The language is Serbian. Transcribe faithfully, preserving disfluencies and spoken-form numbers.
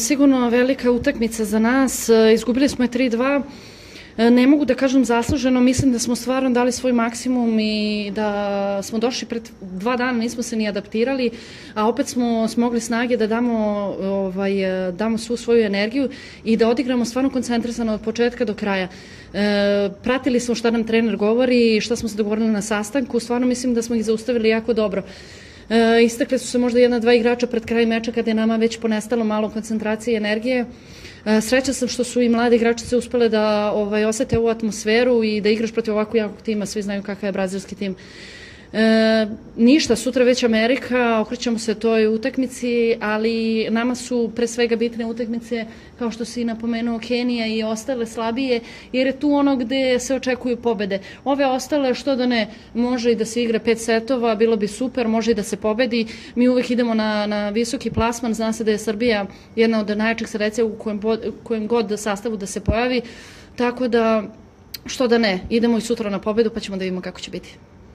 Sigurno velika utakmica za nas, izgubili smo je tri dva, ne mogu da kažem zasluženo, mislim da smo stvarno dali svoj maksimum i da smo došli pred dva dana, nismo se ni adaptirali, a opet smo smogli snage da damo, ovaj, damo svu svoju energiju i da odigramo stvarno koncentrisano od početka do kraja. E, pratili smo šta nam trener govori i šta smo se dogovorili na sastanku, stvarno mislim da smo ih zaustavili jako dobro. E, istakle su se možda jedna, dva igrača pred kraj meča kada je nama već ponestalo malo koncentracije i energije. E, sreća sam što su i mladi igrači se uspele da ovaj, osete ovu atmosferu i da igraš protiv ovako jakog tima, svi znaju kakav je brazilski tim. E, ništa, sutra već Amerika, okrećemo se toj utakmici, ali nama su pre svega bitne utakmice, kao što si napomenuo, Kenija i ostale slabije, jer je tu ono gde se očekuju pobede. Ove ostale, što da ne, može i da se igra pet setova, bilo bi super, može i da se pobedi. Mi uvek idemo na, na visoki plasman, zna se da je Srbija jedna od najjačih selecija u kojem, kojem god sastavu da se pojavi, tako da, što da ne, idemo i sutra na pobedu pa ćemo da vidimo kako će biti.